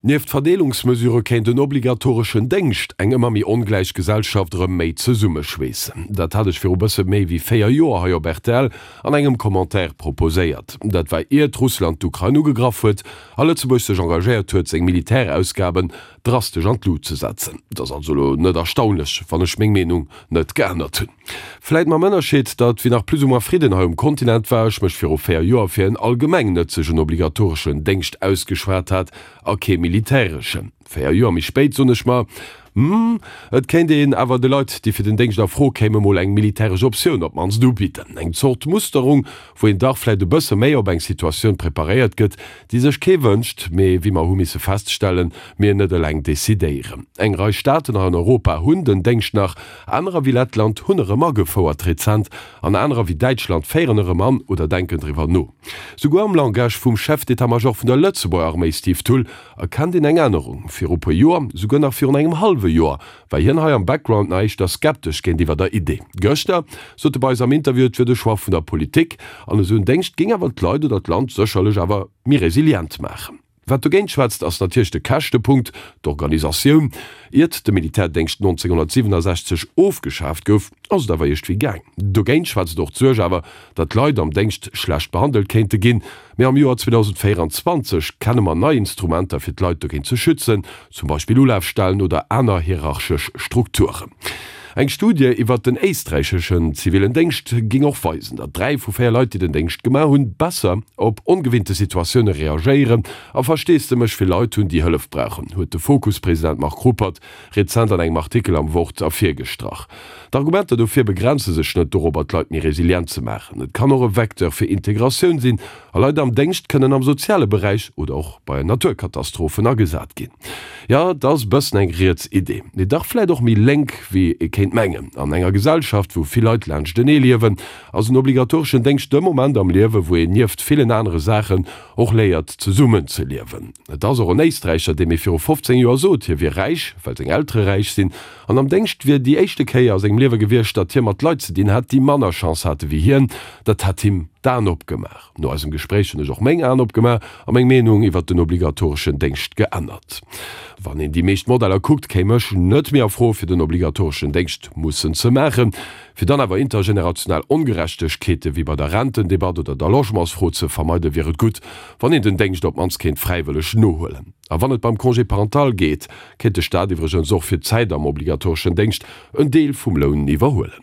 Nieft Verdeelungsmesurë kéint en obligatoreschen Déngscht eng ëmmer méi ongläich Gesellschaft erëm méi zesummeschweessen. Dat hat ech viru bësse méi wéi 4 Joer hei op rtl an engem Commentaire proposéiert. Dat war iert Russland d'Ukrain ugegraff huet a Lëtzebuerg sech engagéiert huet, seng Militärausgaben drastesch an d'Lut ze setzen. Et ass also elo net erstaunlech, wann ech meng Meenung net geännert hunn. Vläit mam Ënnerscheed, datt wéi nach plus ou moins Fridden hei um Kontinent war, ech mech viru 4 Joer fir en allgemeng nëtzegen obligatoreschen Déngscht ausgeschwat hat a kee militäreschen. 4 Joer méi spéit soen ech mer, Hm, et kéint een awer de Leit, déi fir den Déngscht a Fro kéime mol eng militäresch Optioun op d'mannst ubidden. Eng Zort Musterung, wou een dach vläit e bësse méi op eng Situatioun preparéiert gëtt, déi sech kee wënscht, mee wéi mer hu misse feststellen, mir net eleng decidéieren. Eng Rei Staaten hei an Europa hunn den Déngscht nach, Anerer wéi Lettland hunn erëm agefouert rezent, an anerer wéi Däitschland féieren erëm an oder denken driwwer no. Souguer am Langage vum Chef d'état-major vun der Lëtzebuerger Arméi Steve Thull erkennt een eng Ännerung. Viru puer Joer, souguer nach virun engem hallwe Joer, war hien hei am Background nach éischter skeptesch géintiwwer der Idee. Gëschter sot e bei eis am Interview, et wier de Choix vun der Politik an esou en Déngscht géing awer d'Leit oder d'Land sécherlech awer méi resilient maachen. Wat dogéint schwätzt, ass natierlech de Käschtepunkt, d'Organisatioun. Iert de Militärdéngscht 1967 ofgeschaaft gouf, ass et awer iergdwéi gaang. Dogéint schwätzt och d'Suerg awer, datt Leit am Déngscht schlecht behandelt kéinte ginn. Mee am Joer 2024 kenne mer nei Instrumenter, fir d'Leit dogéint ze schützen, zum Beispill Ulafstellen oder aner hierarchesch Strukturen. Eng Studie iwwert den éisträicheschen zivilen Déngscht géing och weisen, datt 3 vu 4 Leit, déi den Déngscht gemaach hunn, besser op ongewinnte Situatioune reagéieren a Versteesdemech fir Leit hunn, déi Hëllef brauchen, huet de Fokus-President Marc Ruppert rezent an engem Artikel am Wort ervirgestrach. D'Argumenter dofir begrenze sech net dorobber, d'Leit méi resilient ze maachen. Et kann och e Vecteur fir Integratioun sinn a Leit am Déngscht kënnen am soziale Beräich oder och bei Naturkatastrophen agesat ginn. Jo, et ass bëssen eng riets Idee, mee dach vläit och méi lénk wéi ee kéint mengen. An enger Gesellschaft, wou vill Leit laanschtenee liewen, ass en obligatoreschen Déngscht de Moment am Liewe wou een nieft villen anere Saachen och léiert zesummen ze liewen. Et ass och en Éisträicher, dee mir viru 15 Joer sot, hie wier räich, well seng Eltere räich sinn, an am Déngscht wier déi éischte Kéier a sengem Liewe gewiescht, datt hie mat Leit ze dinn hat, déi manner Chance hate wéi hien. Dat hätt him d'Aen opgemaach. No eisem Gespréich hunn ech och meng Aen opgemaach a meng Meenung iwwert den obligatoreschen Déngscht geännert. Wann een déi meescht Modeller kuckt, kéim ech net méi a Fro fir den obligatoreschen Déngscht mussen ze maachen. Fir dann awer intergenerational Ongerechtegkeete wéi bei der Rentendebatt oder der Logementsfro ze vermeiden, wier et gutt, wann een den Déngscht op d'mannst kéint fräiwëlleg nohuelen. A wann et beim Congé parental geet, kéint de Staat iwwregens och fir d'Zäit am obligatoreschen Déngscht en Deel vum Loun iwwerhuelen.